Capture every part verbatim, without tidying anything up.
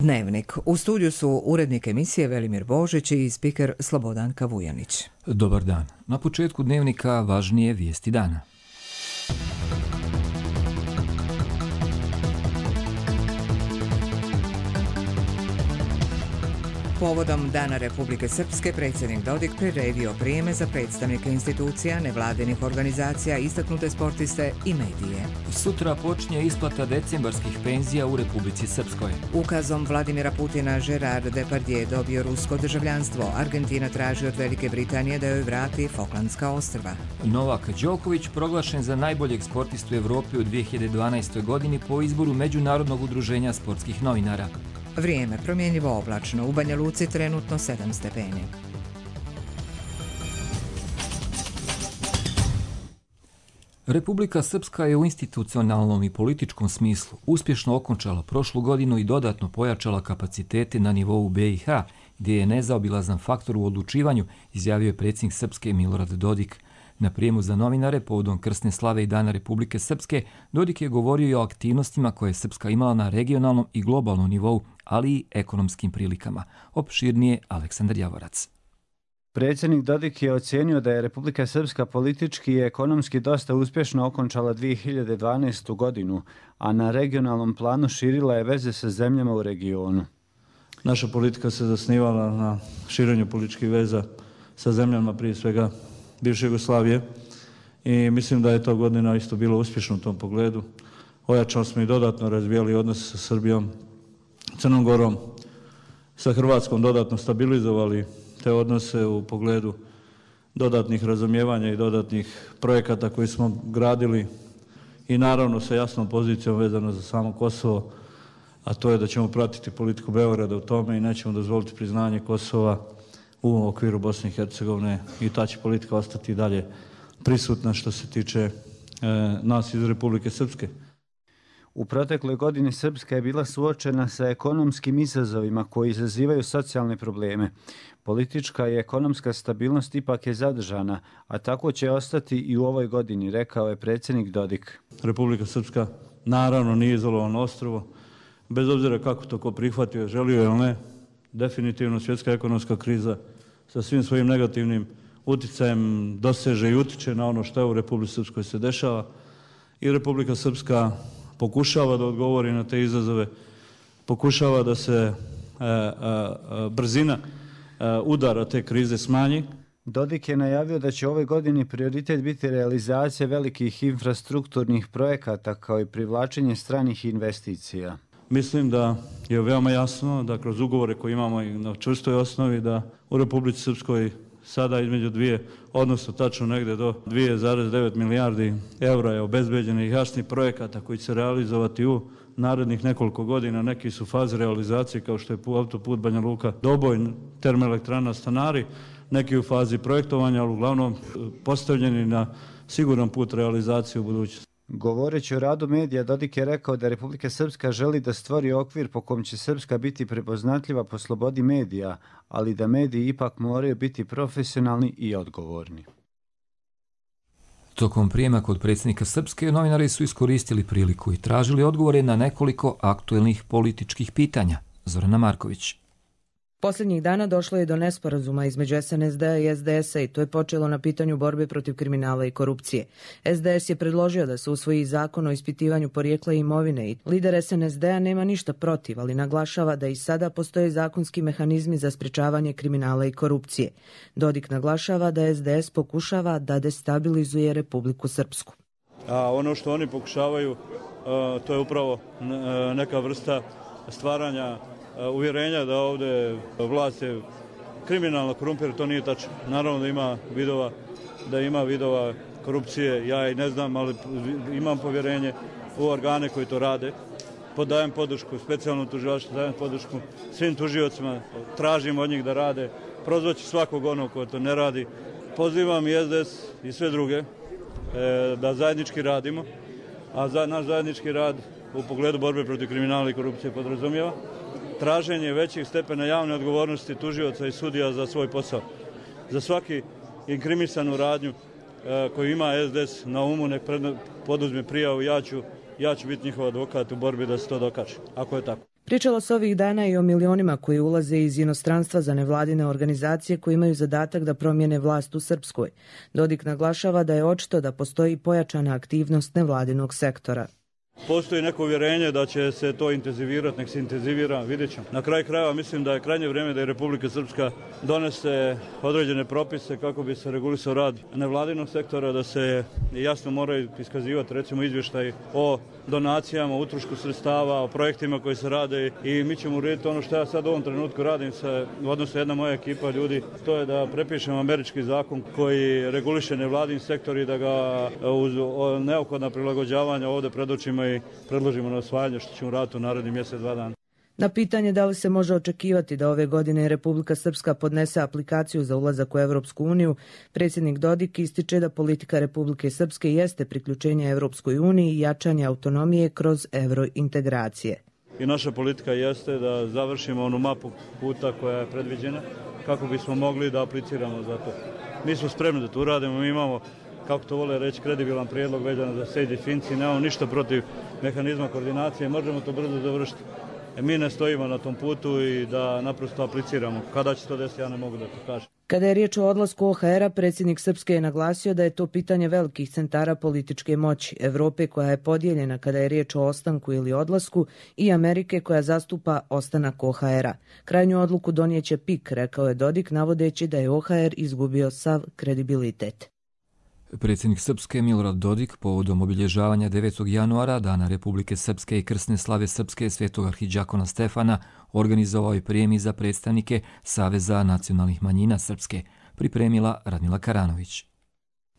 Dnevnik. U studiju su urednik emisije Velimir Božić i spiker Slobodanka Vujanić. Dobar dan. Na početku Dnevnika važnije vijesti dana. Povodom Dana Republike Srpske, predsjednik Dodik priredio prijeme za predstavnike institucija, nevladinih organizacija, istaknute sportiste i medije. Sutra počinje isplata decembarskih penzija u Republici Srpskoj. Ukazom Vladimira Putina Gerard Depardieu dobio rusko državljanstvo. Argentina traži od Velike Britanije da joj vrati Falklandska ostrva. Novak Đoković proglašen za najboljeg sportistu u Evropi u dvije hiljade dvanaestoj. godini po izboru Međunarodnog udruženja sportskih novinara. Vrijeme promjenjivo oblačno, u Banja Luci trenutno sedam stepeni. Republika Srpska je u institucionalnom i političkom smislu uspješno okončala prošlu godinu i dodatno pojačala kapacitete na nivou B i H, gdje je nezaobilazan faktor u odlučivanju, izjavio je predsjednik Srpske Milorad Dodik. Na prijemu za novinare povodom krsne slave i Dana Republike Srpske, Dodik je govorio i o aktivnostima koje je Srpska imala na regionalnom i globalnom nivou, ali i ekonomskim prilikama. Opširnije Aleksandar Javorac. Predsjednik Dodik je ocijenio da je Republika Srpska politički i ekonomski dosta uspješno okončala dvije hiljade dvanaestu. godinu, a na regionalnom planu širila je veze sa zemljama u regionu. Naša politika se zasnivala na širenju političkih veza sa zemljama, prije svega bivše Jugoslavije, i mislim da je to godina isto bilo uspješno u tom pogledu. Ojačali smo i dodatno razvijali odnose sa Srbijom, Crnom Gorom, sa Hrvatskom dodatno stabilizovali te odnose u pogledu dodatnih razumijevanja i dodatnih projekata koji smo gradili i naravno sa jasnom pozicijom vezano za samo Kosovo, a to je da ćemo pratiti politiku Beograda u tome i nećemo dozvoliti priznanje Kosova u okviru Bosne i Hercegovine i ta će politika ostati dalje prisutna što se tiče e, nas iz Republike Srpske. U protekloj godini Srpska je bila suočena sa ekonomskim izazovima koji izazivaju socijalne probleme. Politička i ekonomska stabilnost ipak je zadržana, a tako će ostati i u ovoj godini, rekao je predsjednik Dodik. Republika Srpska naravno nije izolovano ostrvo, bez obzira kako to ko prihvatio, želio ili ne, definitivno svjetska ekonomska kriza sa svim svojim negativnim utjecajem doseže i utiče na ono što je u Republici Srpskoj se dešava i Republika Srpska pokušava da odgovori na te izazove, pokušava da se e, e, brzina e, udara te krize smanji. Dodik je najavio da će ove godine prioritet biti realizacija velikih infrastrukturnih projekata kao i privlačenje stranih investicija. Mislim da je veoma jasno da kroz ugovore koje imamo na čvrstoj osnovi da u Republici Srpskoj sada između dvije, odnosno tačno negdje do dvije zarez devet milijardi eura je obezbeđenih jasnih projekata koji će se realizovati u narednih nekoliko godina. Neki su faze realizacije kao što je autoput Banja Luka Doboj, termoelektrana Stanari, neki u fazi projektovanja, ali uglavnom postavljeni na siguran put realizacije u budućnosti. Govoreći o radu medija, Dodik je rekao da Republika Srpska želi da stvori okvir po kom će Srpska biti prepoznatljiva po slobodi medija, ali da mediji ipak moraju biti profesionalni i odgovorni. Tokom prijema kod predsjednika Srpske, novinari su iskoristili priliku i tražili odgovore na nekoliko aktuelnih političkih pitanja. Zorana Marković. Posljednjih dana došlo je do nesporazuma između S N S D-a i S D S-a i to je počelo na pitanju borbe protiv kriminala i korupcije. S D S je predložio da se usvoji zakon o ispitivanju porijekla imovine i lider S N S D-a nema ništa protiv, ali naglašava da i sada postoje zakonski mehanizmi za sprečavanje kriminala i korupcije. Dodik naglašava da S D S pokušava da destabilizuje Republiku Srpsku. A ono što oni pokušavaju, to je upravo neka vrsta stvaranja uvjerenja da ovdje vlast je kriminalna, korumpirana, to nije tačno. Naravno da ima vidova, da ima vidova korupcije, ja i ne znam, ali imam povjerenje u organe koji to rade. Podajem podršku specijalnom tužilaštvu, dajem podršku svim tužiocima, tražim od njih da rade, prozvaću svakog onog ko to ne radi. Pozivam i S D S i sve druge da zajednički radimo, a za naš zajednički rad u pogledu borbe protiv kriminala i korupcije podrazumijeva traženje većih stepena javne odgovornosti tužioca i sudija za svoj posao. Za svaki inkrimisanu radnju e, koju ima S D S na umu, nek poduzme prijavu, ja ću, ja ću biti njihov advokat u borbi da se to dokaže, ako je tako. Pričalo se ovih dana i o milionima koji ulaze iz inostranstva za nevladine organizacije koji imaju zadatak da promijene vlast u Srpskoj. Dodik naglašava da je očito da postoji pojačana aktivnost nevladinog sektora. Postoji neko uvjerenje da će se to intenzivirati, nek se intenzivira, vidjet ćemo. Na kraju krajeva mislim da je krajnje vrijeme da je Republika Srpska donese određene propise kako bi se regulisao rad nevladinog sektora, da se jasno moraju iskazivati recimo izvještaj o donacijama, o utrošku sredstava, o projektima koji se rade i mi ćemo urediti ono što ja sad u ovom trenutku radim sa, odnosno jedna moja ekipa ljudi, to je da prepišemo američki zakon koji reguliše nevladin sektor i da ga uz neophodna prilagođavanja ovdje predočimo i predložimo na osvajanje, što ćemo raditi u narednih mjesec, dva dana. Na pitanje da li se može očekivati da ove godine Republika Srpska podnese aplikaciju za ulazak u Evropsku uniju, predsjednik Dodik ističe da politika Republike Srpske jeste priključenje Evropskoj uniji i jačanje autonomije kroz eurointegracije. I naša politika jeste da završimo onu mapu puta koja je predviđena kako bismo mogli da apliciramo za to. Mi smo spremni da to uradimo, mi imamo, kako to vole reći, kredibilan prijedlog vezano za sejdi i Finci, nemamo ništa protiv mehanizma koordinacije, možemo to brzo završiti. E, mi ne stojimo na tom putu i da naprosto apliciramo. Kada će to desiti, ja ne mogu da to kažem. Kada je riječ o odlasku O H R-a, predsjednik Srpske je naglasio da je to pitanje velikih centara političke moći, Evrope koja je podijeljena kada je riječ o ostanku ili odlasku i Amerike koja zastupa ostanak O H R-a. Krajnju odluku donijeće P I K, rekao je Dodik, navodeći da je O H R izgubio sav kredibilitet. Predsjednik Srpske Milorad Dodik povodom obilježavanja devetog januara, Dana Republike Srpske i krsne slave Srpske svetog arhidžakona Stefana, organizovao je prijemi za predstavnike Saveza nacionalnih manjina Srpske, pripremila Radmila Karanović.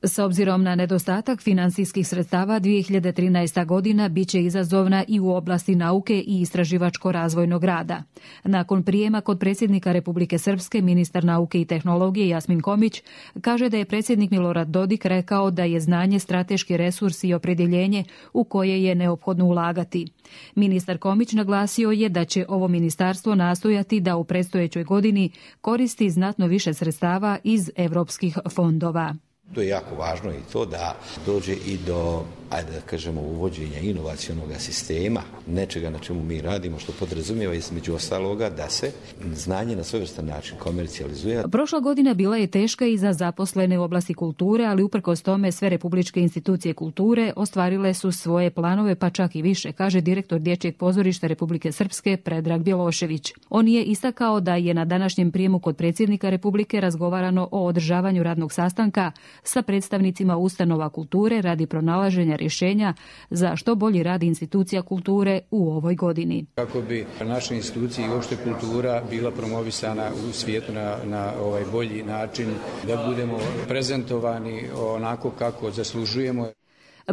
S obzirom na nedostatak finansijskih sredstava, dvije hiljade trinaesta. godina biće izazovna i u oblasti nauke i istraživačko-razvojnog rada. Nakon prijema kod predsjednika Republike Srpske, ministar nauke i tehnologije Jasmin Komić kaže da je predsjednik Milorad Dodik rekao da je znanje strateški resurs i opredjeljenje u koje je neophodno ulagati. Ministar Komić naglasio je da će ovo ministarstvo nastojati da u predstojećoj godini koristi znatno više sredstava iz evropskih fondova. To je jako važno i to da dođe i do, ajde da kažemo, uvođenja inovacionog sistema, nečega na čemu mi radimo, što podrazumijeva između ostaloga da se znanje na svojevrstan način komercijalizuje. Prošla godina bila je teška i za zaposlene u oblasti kulture, ali uprkos tome sve republičke institucije kulture ostvarile su svoje planove, pa čak i više, kaže direktor Dječjeg pozorišta Republike Srpske Predrag Bjelošević. On je istakao da je na današnjem prijemu kod predsjednika Republike razgovarano o održavanju radnog sastanka sa predstavnicima ustanova kulture radi pronalaženja rješenja za što bolji rad institucija kulture u ovoj godini. Kako bi naše institucije i uopšte kultura bila promovisana u svijetu na, na ovaj bolji način, da budemo prezentovani onako kako zaslužujemo.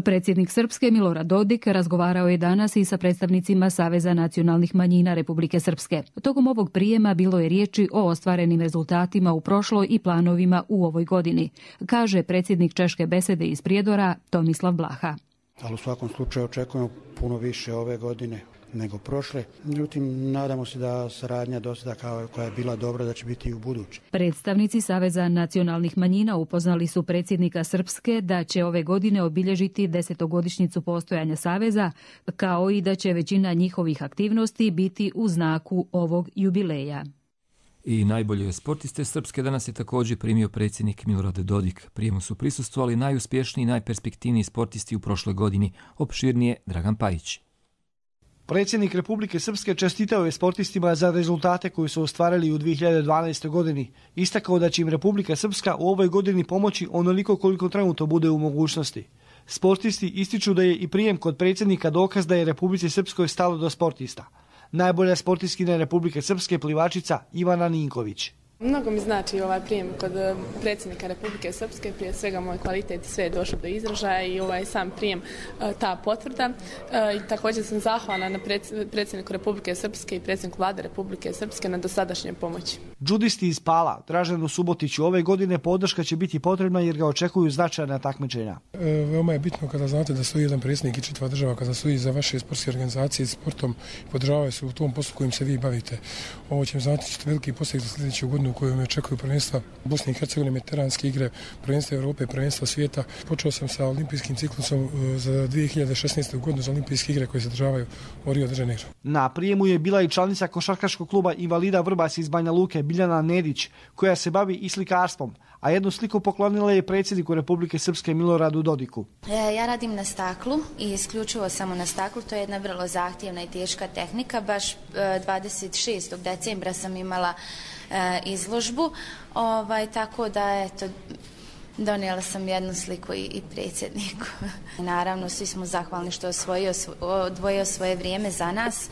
Predsjednik Srpske Milorad Dodik razgovarao je danas i sa predstavnicima Saveza nacionalnih manjina Republike Srpske. Tokom ovog prijema bilo je riječi o ostvarenim rezultatima u prošloj i planovima u ovoj godini, kaže predsjednik Češke besede iz Prijedora Tomislav Blaha. Ali u svakom slučaju očekujemo puno više ove godine nego prošle. Međutim, nadamo se da saradnja do sada koja je bila dobra da će biti i u buduće. Predstavnici Saveza nacionalnih manjina upoznali su predsjednika Srpske da će ove godine obilježiti desetogodišnjicu postojanja Saveza, kao i da će većina njihovih aktivnosti biti u znaku ovog jubileja. I najbolje sportiste Srpske danas je također primio predsjednik Milorad Dodik. Prijemu su prisustvovali najuspješniji i najperspektivniji sportisti u prošloj godini, opširnije Dragan Pajić. Predsjednik Republike Srpske čestitao je sportistima za rezultate koji su ostvarili u dvije hiljade dvanaestoj. godini. Istakao da će im Republika Srpska u ovoj godini pomoći onoliko koliko trenutno bude u mogućnosti. Sportisti ističu da je i prijem kod predsjednika dokaz da je Republici Srpskoj stalo do sportista. Najbolja sportiskinja Republike Srpske plivačica Ivana Ninković. Mnogo mi znači ovaj prijem kod predsjednika Republike Srpske, prije svega moj kvalitet i sve je došlo do izražaja i ovaj sam prijem, ta potvrda. I također sam zahvalna na predsjedniku Republike Srpske i predsjedniku vlade Republike Srpske na dosadašnje pomoći. Džudisti iz Pala, Draženu Subotiću, ove godine podrška će biti potrebna jer ga očekuju značajna takmičenja. E, veoma je bitno kada znate da stoji jedan predsjednik i čitava država, kada stoji za vaše sportske organizacije sportom, podržavaju se u tom poslu kojim se vi bavite. Ovo će znati ćete veliki posljed za sljedeću godinu godinu u kojoj me očekuju prvenstva Bosne i Hercegovine, mediteranske igre, prvenstva Europe, prvenstva svijeta. Počeo sam sa olimpijskim ciklusom za dvije hiljade šesnaestu. godinu za olimpijske igre koje se održavaju u Rio de Janeiro. Na prijemu je bila i članica košarkaškog kluba invalida Vrbas iz Banja Luke, Biljana Nedić, koja se bavi i slikarstvom, a jednu sliku poklonila je predsjedniku Republike Srpske Miloradu Dodiku. Ja radim na staklu i isključivo samo na staklu. To je jedna vrlo zahtjevna i teška tehnika. Baš dvadeset šestog decembra sam imala izložbu, ovaj, tako da eto, donijela sam jednu sliku i, i predsjedniku. Naravno, svi smo zahvalni što je osvojio, odvojio svoje vrijeme za nas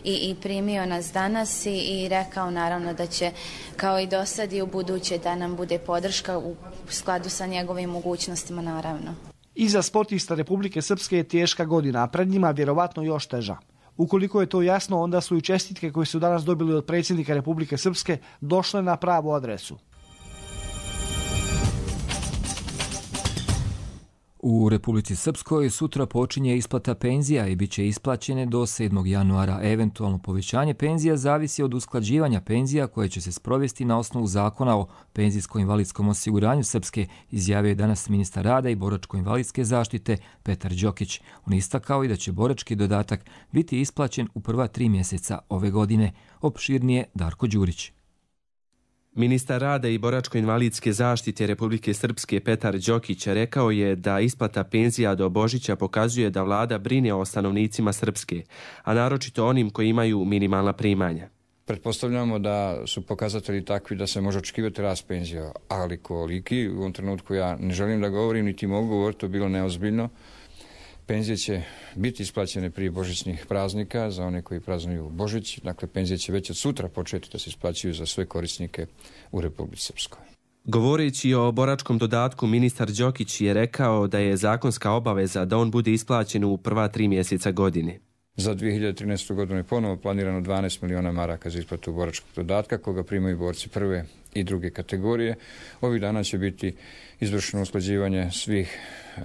i, i primio nas danas i, i rekao naravno da će kao i do sad i u buduće da nam bude podrška u skladu sa njegovim mogućnostima naravno. Iza sportista Republike Srpske je teška godina, a pred njima vjerovatno još teža. Ukoliko je to jasno, onda su i čestitke koje su danas dobili od predsjednika Republike Srpske došle na pravu adresu. U Republici Srpskoj sutra počinje isplata penzija i bit će isplaćene do sedmog januara. Eventualno povećanje penzija zavisi od usklađivanja penzija koje će se sprovesti na osnovu zakona o penzijsko-invalidskom osiguranju Srpske, izjavio je danas ministar rada i boračko-invalidske zaštite Petar Đokić. On istakao i da će borački dodatak biti isplaćen u prva tri mjeseca ove godine. Opširnije Darko Đurić. Ministar rada i boračko-invalidske zaštite Republike Srpske Petar Đokić rekao je da isplata penzija do Božića pokazuje da vlada brine o stanovnicima Srpske, a naročito onim koji imaju minimalna primanja. Pretpostavljamo da su pokazatelji takvi da se može očekivati rast penzija, ali koliki, u ovom trenutku ja ne želim da govorim, niti mogu govoriti, to je bilo neozbiljno. Penzije će biti isplaćene prije božićnih praznika za one koji praznuju Božić. Dakle, penzije će već od sutra početi da se isplaćuju za sve korisnike u Republici Srpskoj. Govoreći o boračkom dodatku, ministar Đokić je rekao da je zakonska obaveza da on bude isplaćen u prva tri mjeseca godine. Za dvije hiljade trinaestu. godinu je ponovo planirano dvanaest miliona maraka za isplatu boračkog dodatka, koga primaju borci prve i druge kategorije. Ovih dana će biti izvršeno usklađivanje svih e,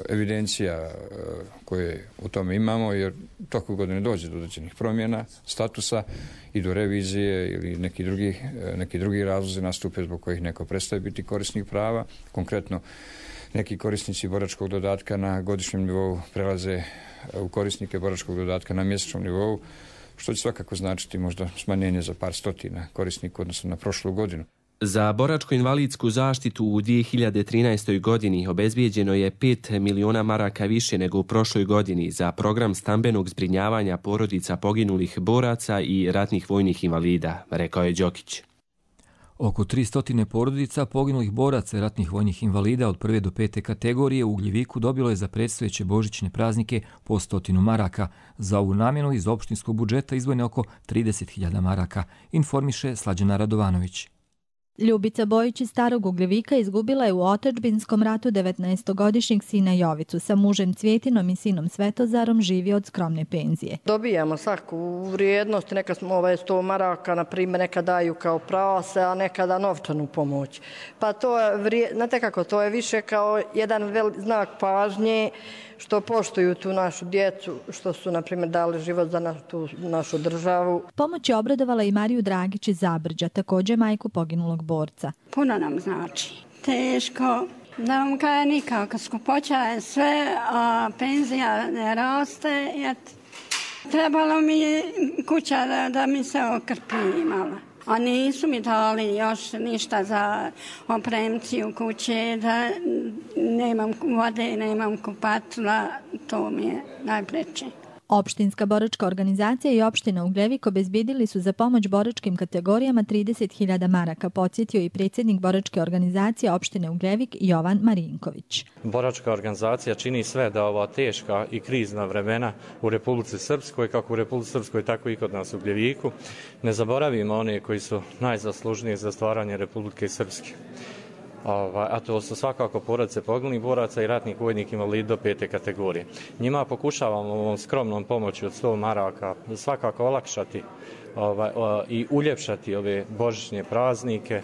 evidencija e, koje u tome imamo, jer toku godine dođe do određenih promjena statusa i do revizije ili neki drugi, e, neki drugi razlozi nastupe zbog kojih neko prestaje biti korisnik prava. Konkretno, neki korisnici boračkog dodatka na godišnjem nivou prelaze u korisnike boračkog dodatka na mjesečnom nivou, što će svakako značiti možda smanjenje za par stotina korisnika odnosno na prošlu godinu. Za boračko-invalidsku zaštitu u dvije hiljade trinaestoj. godini obezbijeđeno je pet miliona maraka više nego u prošloj godini za program stambenog zbrinjavanja porodica poginulih boraca i ratnih vojnih invalida, rekao je Đokić. Oko tristo porodica poginulih boraca i ratnih vojnih invalida od prve do pete kategorije u Ugljeviku dobilo je za predstojeće božićne praznike po stotinu maraka. Za ovu namjenu iz opštinskog budžeta izdvojeno je oko trideset hiljada maraka, informiše Slađana Radovanović. Ljubica Bojić iz Starog Ugljevika izgubila je u otadžbinskom ratu devetnaestogodišnjeg sina Jovicu. Sa mužem Cvjetinom i sinom Svetozarom živi od skromne penzije. Dobijamo svaku vrijednost, neka smo ovaj sto maraka, na primjer, neka daju kao prase, a nekada novčanu pomoć. Pa to je, znate kako, to je više kao jedan velik znak pažnje što poštuju tu našu djecu, što su, na primjer, dali život za našu, tu našu državu. Pomoć je obradovala i Mariju Dragić iz Zabrđa, također majku poginulog borca. Puno nam znači. Teško. Da vam kaje nikako. Skupoća je sve, a penzija ne raste. Trebalo mi je kuća da, da mi se okrpi malo. A nisu mi dali još ništa za opremciju kuće, da nemam vode, nemam kupatila, to mi je najpreče. Opštinska boračka organizacija i opština Ugljevik obezbijedili su za pomoć boračkim kategorijama trideset hiljada maraka, podsjetio i predsjednik boračke organizacije opštine Ugljevik Jovan Marinković. Boračka organizacija čini sve da ova teška i krizna vremena u Republici Srpskoj, kako u Republici Srpskoj, tako i kod nas u Ugljeviku, ne zaboravimo one koji su najzaslužniji za stvaranje Republike Srpske. A to su svakako porodice poginulih boraca i ratnih vojnih invalida do pete kategorije. Njima pokušavamo ovom skromnom pomoći od sto maraka svakako olakšati ovaj, i uljepšati ove božićne praznike.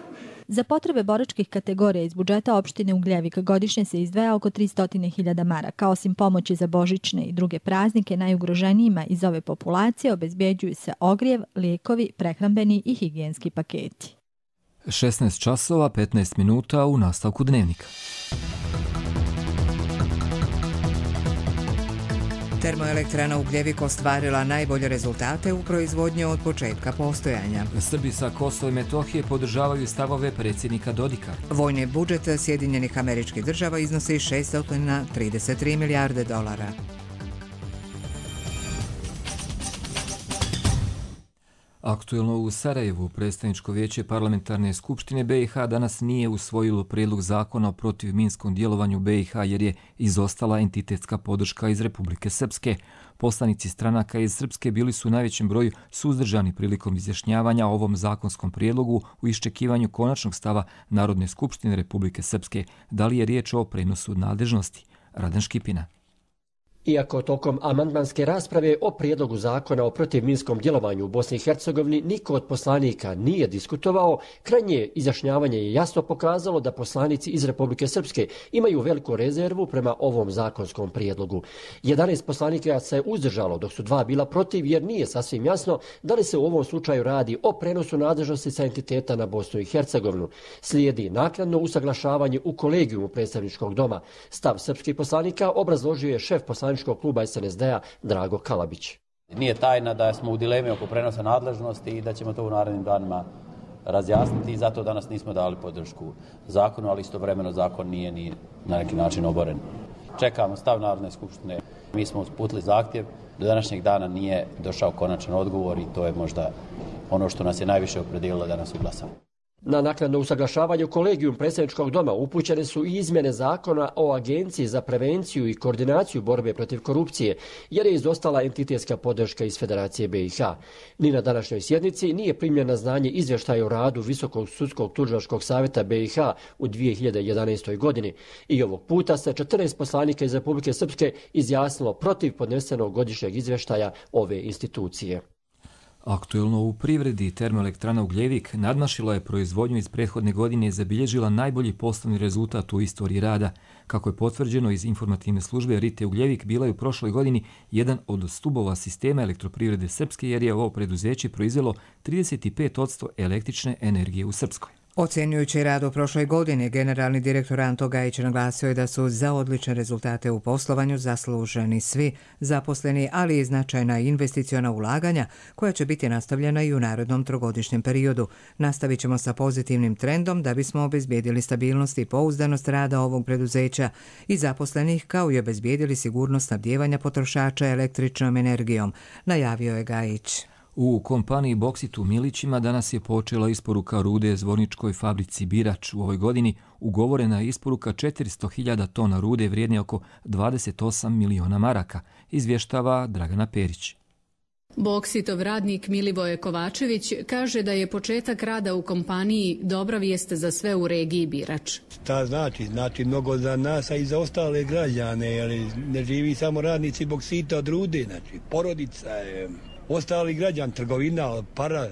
Za potrebe boračkih kategorija iz budžeta opštine Ugljevik godišnje se izdvaja oko tristo hiljada maraka. Osim pomoći za božićne i druge praznike, najugroženijima iz ove populacije obezbjeđuju se ogrijev, lijekovi, prehrambeni i higijenski paketi. šesnaest časova petnaest minuta u nastavku dnevnika. Termoelektrana Ugljevik ostvarila najbolje rezultate u proizvodnji od početka postojanja. Srbi sa Kosova i Metohije podržavaju stavove predsjednika Dodika. Vojni budžet Sjedinjenih Američkih Država iznosi šesto trideset tri milijarde dolara. Aktuelno u Sarajevu predstavničko vijeće parlamentarne skupštine B i H danas nije usvojilo prijedlog zakona o protivminskom djelovanju B i H jer je izostala entitetska podrška iz Republike Srpske. Poslanici stranaka iz Srpske bili su u najvećem broju suzdržani prilikom izjašnjavanja o ovom zakonskom prijedlogu u iščekivanju konačnog stava Narodne skupštine Republike Srpske. Da li je riječ o prenosu nadležnosti? Radan Škipina. Iako tokom amandmanske rasprave o prijedlogu zakona o protivminskom djelovanju u Bosni i Hercegovini niko od poslanika nije diskutovao, krajnje izjašnjavanje je jasno pokazalo da poslanici iz Republike Srpske imaju veliku rezervu prema ovom zakonskom prijedlogu. jedanaest poslanika se uzdržalo, dok su dva bila protiv, jer nije sasvim jasno da li se u ovom slučaju radi o prenosu nadležnosti sa entiteta na Bosnu i Hercegovinu. Slijedi naknadno usaglašavanje u kolegijumu predstavničkog doma. Stav srpskih poslanika obrazložio je šef poslanika kluba S N S D-a Drago Kalabić. Nije tajna da smo u dilemi oko prenosa nadležnosti i da ćemo to u narednim danima razjasniti i zato danas nismo dali podršku zakonu, ali istovremeno zakon nije ni na neki način oboren. Čekamo stav Narodne skupštine. Mi smo uputili zahtjev, do današnjeg dana nije došao konačan odgovor i to je možda ono što nas je najviše opredijelilo da nas uglasamo. Na naknadno usaglašavanju kolegijum predstavničkog doma upućene su i izmjene zakona o Agenciji za prevenciju i koordinaciju borbe protiv korupcije, jer je izostala entitetska podrška iz Federacije B i H. Ni na današnjoj sjednici nije primljen na znanje izvještaj o radu Visokog sudskog tužilačkog savjeta B i H u dvije hiljade jedanaestoj. godini. I ovog puta se četrnaest poslanika iz Republike Srpske izjasnilo protiv podnesenog godišnjeg izvještaja ove institucije. Aktuelno u privredi termoelektrana Ugljevik nadmašila je proizvodnju iz prethodne godine i zabilježila najbolji poslovni rezultat u istoriji rada. Kako je potvrđeno iz informativne službe, Rite Ugljevik bila je u prošloj godini jedan od stubova sistema elektroprivrede Srpske jer je ovo preduzeće proizvelo trideset pet posto električne energije u Srpskoj. Ocjenjujući rad u prošloj godini, generalni direktor Anto Gajić naglasio je da su za odlične rezultate u poslovanju zasluženi svi zaposleni, ali i značajna investiciona ulaganja koja će biti nastavljena i u narednom trogodišnjem periodu. Nastavit ćemo sa pozitivnim trendom da bismo obezbijedili stabilnost i pouzdanost rada ovog preduzeća i zaposlenih, kao i obezbijedili sigurnost snabdijevanja potrošača električnom energijom, najavio je Gajić. U kompaniji Boksit u Milićima danas je počela isporuka rude Zvorničkoj fabrici Birač. U ovoj godini ugovorena je isporuka četiristo hiljada tona rude vrijedne oko dvadeset osam miliona maraka, izvještava Dragana Perić. Boksitov radnik Milivoje Kovačević kaže da je početak rada u kompaniji dobra vijest za sve u regiji Birač. Šta znači? Znači mnogo za nas, a i za ostale građane, jer ne živi samo radnici Boksita od rude, znači porodica je... Ostali građan, trgovina, para,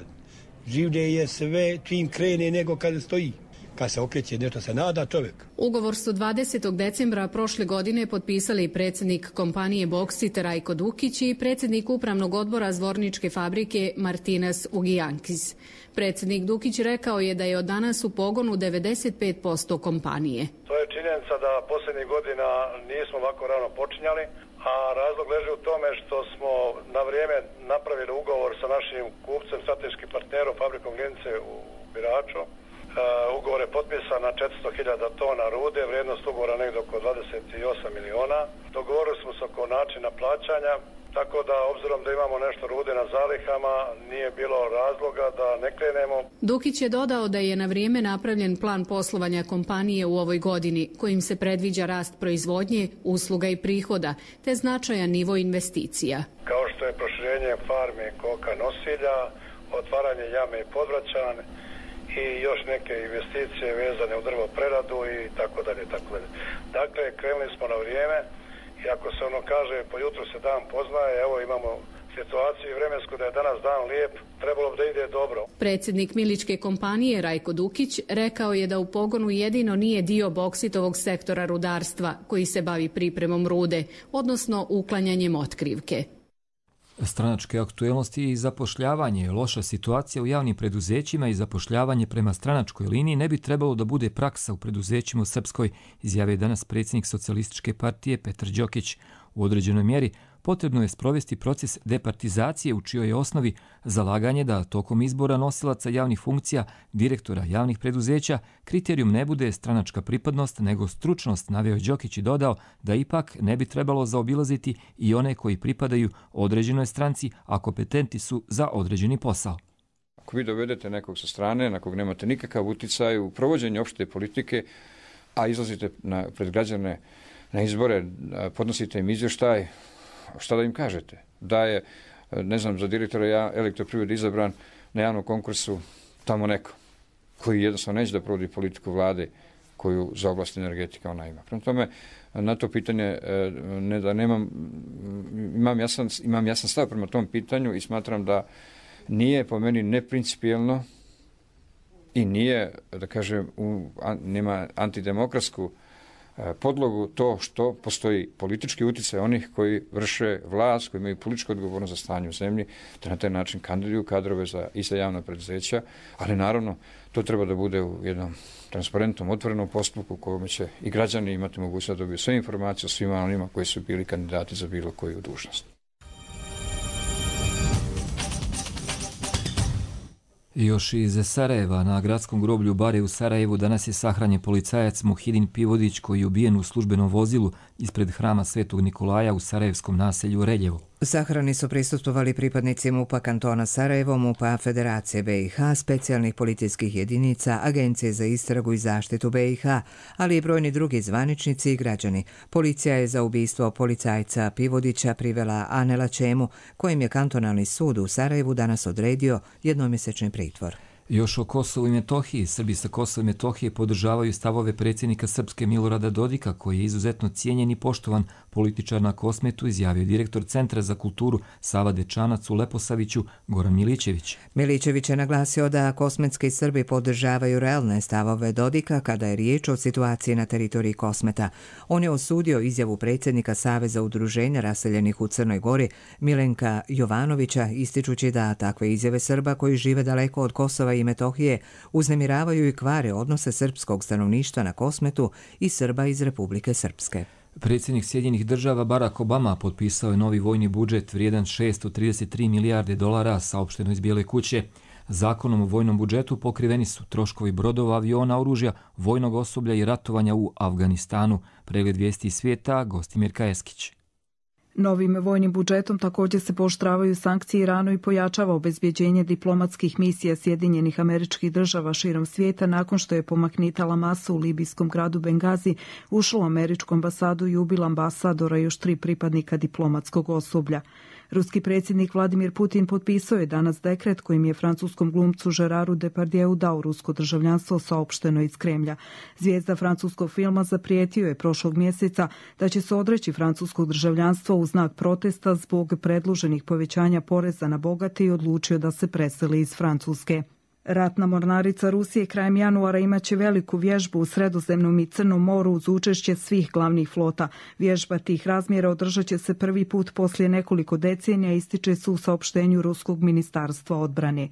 življe je sve čim krene nego kad stoji. Kad se okreće, nešto se nada čovjek. Ugovor su dvadesetog decembra prošle godine potpisali predsjednik kompanije Boksit Rajko Dukić i predsjednik upravnog odbora Zvorničke fabrike Martinas Ugijankis. Predsjednik Dukić rekao je da je od danas u pogonu devedeset pet posto kompanije. To je činjenica da posljednjih godina nismo ovako rano počinjali, a razlog leži u tome što smo na vrijeme napravili ugovor sa našim kupcem, strateškim partnerom, fabrikom Glince u Biraču. Uh, ugovor je potpisan na četiristo hiljada tona rude, vrijednost ugovora negdje oko dvadeset osam miliona. Dogovorili smo se oko načina plaćanja, tako da obzirom da imamo nešto rude na zalihama, nije bilo razloga da ne krenemo. Dukić je dodao da je na vrijeme napravljen plan poslovanja kompanije u ovoj godini, kojim se predviđa rast proizvodnje, usluga i prihoda, te značajan nivo investicija. Kao što je proširenje farme koka nosilja, otvaranje jame i podvraćan i još neke investicije vezane u drvopreradu i tako dalje, tako dalje. Dakle, krenuli smo na vrijeme. I ako se ono kaže, po jutru se dan poznaje, evo imamo situaciju vremensku da je danas dan lijep, trebalo bi da ide dobro. Predsjednik miličke kompanije Rajko Dukić rekao je da u pogonu jedino nije dio Boksitovog sektora rudarstva koji se bavi pripremom rude, odnosno uklanjanjem otkrivke. Stranačke aktuelnosti i zapošljavanje, loša situacija u javnim preduzećima i zapošljavanje prema stranačkoj liniji ne bi trebalo da bude praksa u preduzećima u Srpskoj, izjavio je danas predsjednik Socijalističke partije Petar Đokić. U određenoj mjeri potrebno je sprovesti proces departizacije u čijoj je osnovi zalaganje da tokom izbora nosilaca javnih funkcija, direktora javnih preduzeća, kriterijum ne bude stranačka pripadnost nego stručnost, naveo je Đokić i dodao da ipak ne bi trebalo zaobilaziti i one koji pripadaju određenoj stranci, a kompetenti su za određeni posao. Ako vi dovedete nekog sa strane, na kog nemate nikakav uticaj u provođenju opšte politike, a izlazite na, pred građane na izbore, podnosite im izvještaj, šta da im kažete? Da je, ne znam, za direktora Elektroprivrede izabran na javnom konkursu tamo neko koji jednostavno neće da provodi politiku vlade koju za oblast energetika ona ima. Prema tome, na to pitanje ne da nemam, imam jasan, imam jasan stav prema tom pitanju i smatram da nije po meni neprincipijelno i nije, da kažem, u, nema antidemokratsku podlogu to što postoji politički utjecaj onih koji vrše vlast, koji imaju političku odgovornost za stanje u zemlji, da na taj način kandiduju kadrove za i za javna preduzeća, ali naravno to treba da bude u jednom transparentnom, otvorenom postupku u kojem će i građani imati mogućnost da dobiju sve informacije o svima onima koji su bili kandidati za bilo koju dužnost. Još iz Sarajeva, na gradskom groblju Bare u Sarajevu danas je sahranjen policajac Muhidin Pivodić koji je ubijen u službenom vozilu ispred hrama Svetog Nikolaja u sarajevskom naselju Reljevo. Sahrani su prisustvovali pripadnici MUP-a kantona Sarajevo, MUP-a Federacije be i ha, specijalnih policijskih jedinica, Agencije za istragu i zaštitu be i ha, ali i brojni drugi zvaničnici i građani. Policija je za ubistvo policajca Pivodića privela Anela Čemu, kojim je kantonalni sud u Sarajevu danas odredio jednomjesečni pritvor. Još o Kosovu i Metohiji. Srbi sa Kosova i Metohije podržavaju stavove predsjednika Srpske Milorada Dodika, koji je izuzetno cijenjen i poštovan političar na Kosmetu, izjavio direktor Centra za kulturu Sava Dečanac u Leposaviću Goran Milićević. Milićević je naglasio da kosmetski Srbi podržavaju realne stavove Dodika kada je riječ o situaciji na teritoriji Kosmeta. On je osudio izjavu predsjednika Saveza udruženja raseljenih u Crnoj Gori Milenka Jovanovića, ističući da takve izjave Srba koji žive daleko od Kosova i Metohije uznemiravaju i kvare odnose srpskog stanovništva na Kosmetu i Srba iz Republike Srpske. Predsjednik Sjedinjenih država Barack Obama potpisao je novi vojni budžet vrijedan šesto trideset tri milijarde dolara, saopšteno iz Bijele kuće. Zakonom o vojnom budžetu pokriveni su troškovi brodova, aviona, oružja, vojnog osoblja i ratovanja u Afganistanu. Pregled vijesti iz svijeta, Gostimir Kajeskić. Novim vojnim budžetom također se pooštravaju sankcije Iranu i pojačava obezbjeđenje diplomatskih misija Sjedinjenih Američkih Država širom svijeta nakon što je pomaknitala masa u libijskom gradu Bengazi, ušla u američku ambasadu i ubila ambasadora i još tri pripadnika diplomatskog osoblja. Ruski predsjednik Vladimir Putin potpisao je danas dekret kojim je francuskom glumcu Geraru Depardieu dao rusko državljanstvo, saopšteno iz Kremlja. Zvijezda francuskog filma zaprijetio je prošlog mjeseca da će se odreći francuskog državljanstva u znak protesta zbog predloženih povećanja poreza na bogate i odlučio da se preseli iz Francuske. Ratna mornarica Rusije krajem januara imaće veliku vježbu u Sredozemnom i Crnom moru uz učešće svih glavnih flota. Vježba tih razmjera održat će se prvi put poslije nekoliko decenija, ističe se u saopštenju Ruskog ministarstva odbrane.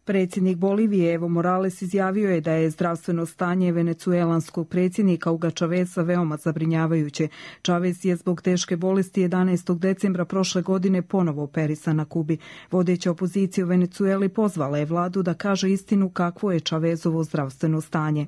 Predsjednik Bolivije Evo Morales izjavio je da je zdravstveno stanje venecuelanskog predsjednika Huga Chaveza veoma zabrinjavajuće. Chavez je zbog teške bolesti jedanaestog decembra prošle godine ponovo operisan na Kubi. Vodeća opozicija u Venecueli pozvala je vladu da kaže istinu kakvo je Chavezovo zdravstveno stanje.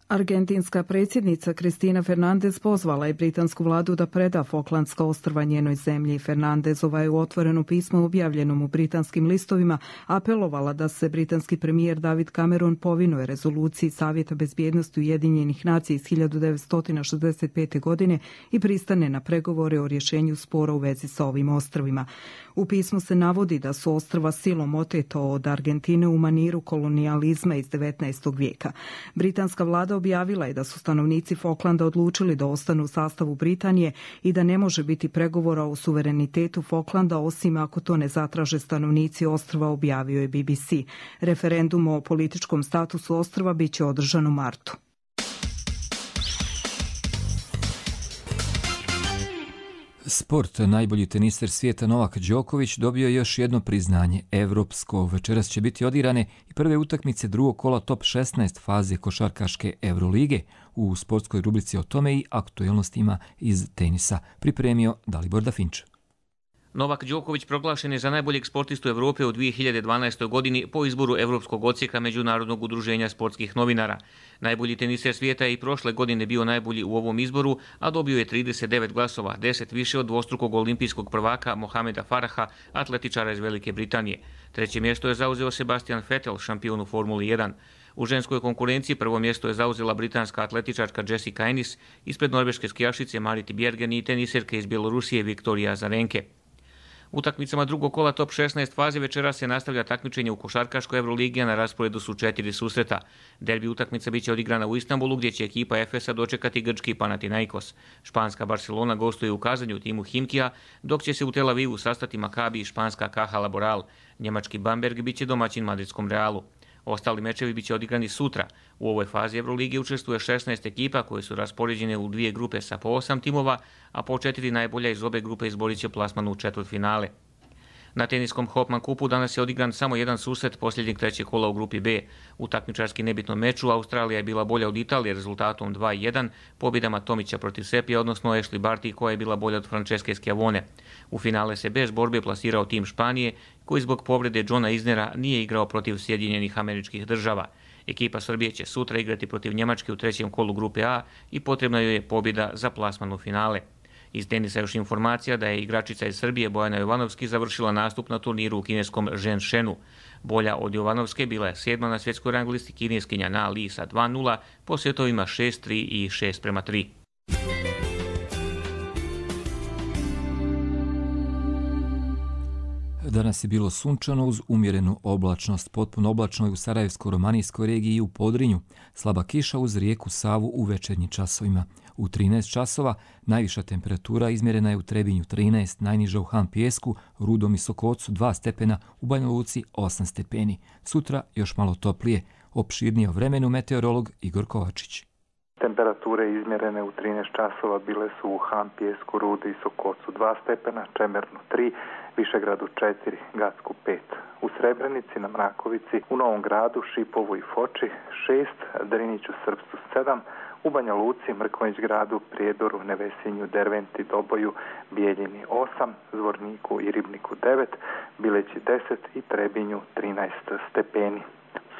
Argentinska predsjednica Cristina Fernandez pozvala je britansku vladu da preda Falklandska ostrva njenoj zemlji. Fernandezova je u otvorenom pismu objavljenom u britanskim listovima apelovala da se britanski premijer David Cameron povinuje rezoluciji Savjeta bezbjednosti Ujedinjenih nacija iz hiljadu devetsto šezdeset pete. godine i pristane na pregovore o rješenju spora u vezi sa ovim ostrvima. U pismu se navodi da su ostrva silom oteta od Argentine u maniru kolonijalizma iz devetnaestog vijeka. Britanska vlada objavila je da su stanovnici Falklanda odlučili da ostanu u sastavu Britanije i da ne može biti pregovora o suverenitetu Falklanda osim ako to ne zatraže stanovnici ostrva, objavio je B B C. Referendum o političkom statusu ostrva bit će održan u martu. Sport. Najbolji teniser svijeta Novak Đoković dobio je još jedno priznanje, evropsko. Večeras će biti odigrane i prve utakmice drugog kola top šesnaest faze košarkaške Evrolige. U sportskoj rubrici o tome i aktuelnostima iz tenisa pripremio Dalibor Dafinč. Novak Đoković proglašen je za najboljeg sportistu Evrope u dvije hiljade dvanaestoj. godini po izboru Evropskog odsjeka Međunarodnog udruženja sportskih novinara. Najbolji teniser svijeta je i prošle godine bio najbolji u ovom izboru, a dobio je trideset devet glasova, deset više od dvostrukog olimpijskog prvaka Mohameda Faraha, atletičara iz Velike Britanije. Treće mjesto je zauzeo Sebastian Vettel, šampion u Formuli jedan. U ženskoj konkurenciji prvo mjesto je zauzela britanska atletičarka Jessica Ennis, ispred norveške skijašice Mariti Bjergen i teniserke iz Bjelorusije Viktorija Azarenke. Utakmicama drugog kola top šesnaest faze večera se nastavlja takmičenje u košarkaškoj Evroligi, a na rasporedu su četiri susreta. Derbi utakmica biće odigrana u Istanbulu, gdje će ekipa Efesa dočekati grčki Panathinaikos. Španska Barcelona gostuje u Kazanju timu Himkija, dok će se u Tel Avivu sastati Makabi i španska Caja Laboral. Njemački Bamberg biće domaćin madridskom Realu. Ostali mečevi biće odigrani sutra. U ovoj fazi Evrolige učestvuje šesnaest ekipa koje su raspoređene u dvije grupe sa po osam timova, a po četiri najbolja iz obe grupe izborit će plasman u četvrtfinale. Na teniskom Hopman kupu danas je odigran samo jedan susret posljednjeg trećeg kola u grupi B. U takmičarski nebitnom meču Australija je bila bolja od Italije rezultatom dva jedan, pobjedama Tomića protiv Sepija, odnosno Ashley Barty koja je bila bolja od Franceske Schiavone. U finale se bez borbe plasirao tim Španije, koji zbog povrede Johna Isnera nije igrao protiv Sjedinjenih Američkih Država. Ekipa Srbije će sutra igrati protiv Njemačke u trećem kolu grupe A i potrebna joj je pobjeda za plasman u finale. Iz tenisa još informacija da je igračica iz Srbije Bojana Jovanovski završila nastup na turniru u kineskom Zhenshenu. Bolja od Jovanovske bila je sedma na svjetskoj rang listi Kineskinja Na Li sa dva nula po setovima šest tri i šest prema tri. Danas je bilo sunčano uz umjerenu oblačnost. Potpuno oblačno je u Sarajevsko-romanijskoj regiji i u Podrinju. Slaba kiša uz rijeku Savu u večernjim časovima. U trinaest časova najviša temperatura izmjerena je u Trebinju trinaest, najniža u Han Pijesku, Rudom i Sokocu dva stepena, u Banja Luci osam stepeni. Sutra još malo toplije. Opširnije o vremenu meteorolog Igor Kovačić. Temperature izmjerene u trinaest časova bile su u Han Pijesku, Rudi i Sokocu dva stepena, Čemernu tri, Višegradu četiri, Gacku pet. U Srebrenici, na Mrakovici, u Novom Gradu, Šipovu i Foči šest, Driniću, Srpstu sedam, u Banja Luci, Mrkonjić Gradu, Prijedoru, Nevesinju, Derventi, Doboju, Bijeljini osam, Zvorniku i Ribniku devet, Bileći deset i Trebinju trinaest stepeni.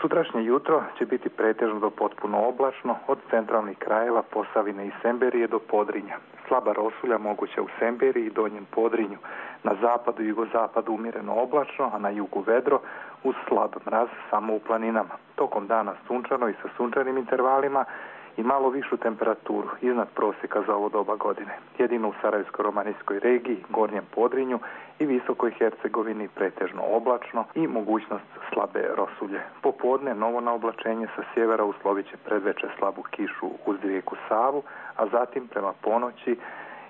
Sutrašnje jutro će biti pretežno do potpuno oblačno od centralnih krajeva Posavine i Semberije do Podrinja. Slaba rosulja moguća u Semberiji i Donjem Podrinju. Na zapadu i jugozapadu umjereno oblačno, a na jugu vedro uz slab mraz samo u planinama. Tokom dana sunčano i sa sunčanim intervalima i malo višu temperaturu iznad prosjeka za ovo doba godine. Jedino u Sarajevsko-romanijskoj regiji, Gornjem Podrinju i Visokoj Hercegovini pretežno oblačno i mogućnost slabe rosulje. Popodne novo naoblačenje sa sjevera uslovit će predveče slabu kišu uz rijeku Savu, a zatim prema ponoći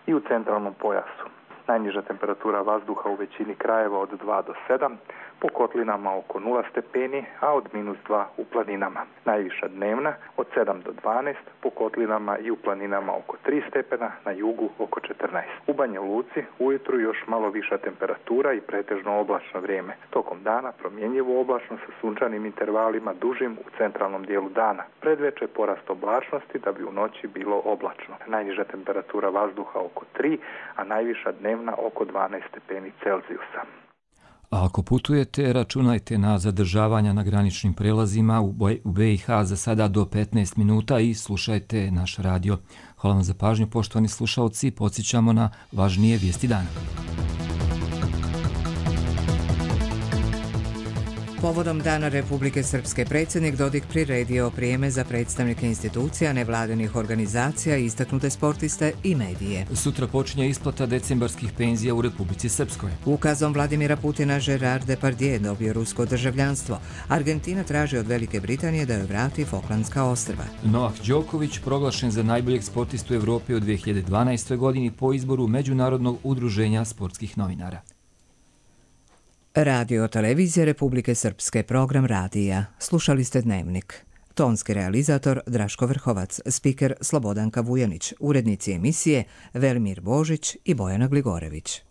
i u centralnom pojasu. Najniža temperatura vazduha u većini krajeva od dva do sedam, po kotlinama oko nula stepeni, a od minus dva u planinama. Najviša dnevna od sedam do dvanaest, po kotlinama i u planinama oko tri stepena, na jugu oko četrnaest. U Banja Luci ujutru još malo viša temperatura i pretežno oblačno vrijeme. Tokom dana promjenjivo oblačno sa sunčanim intervalima dužim u centralnom dijelu dana. Predveče porast oblačnosti da bi u noći bilo oblačno. Najniža temperatura vazduha oko tri, a najviša dnevna oko dvanaest stepeni Celzijusa. A ako putujete, računajte na zadržavanja na graničnim prelazima u B i H za sada do petnaest minuta i slušajte naš radio. Hvala vam za pažnju, poštovani slušalci, podsjećamo na važnije vijesti dana. Povodom Dana Republike Srpske predsjednik Dodik priredio prijeme za predstavnike institucija, nevladinih organizacija, istaknute sportiste i medije. Sutra počinje isplata decembarskih penzija u Republici Srpskoj. Ukazom Vladimira Putina Gerard Depardieu dobio rusko državljanstvo. Argentina traži od Velike Britanije da joj vrati Falklandska ostrva. Novak Đoković proglašen za najboljeg sportistu Evrope u dvije hiljade dvanaestoj. godini po izboru Međunarodnog udruženja sportskih novinara. Radio Televizija Republike Srpske, program radija. Slušali ste Dnevnik. tonski realizator Draško Vrhovac, spiker Slobodanka Vujanić, urednici emisije Velimir Božić i Bojana Gligorević.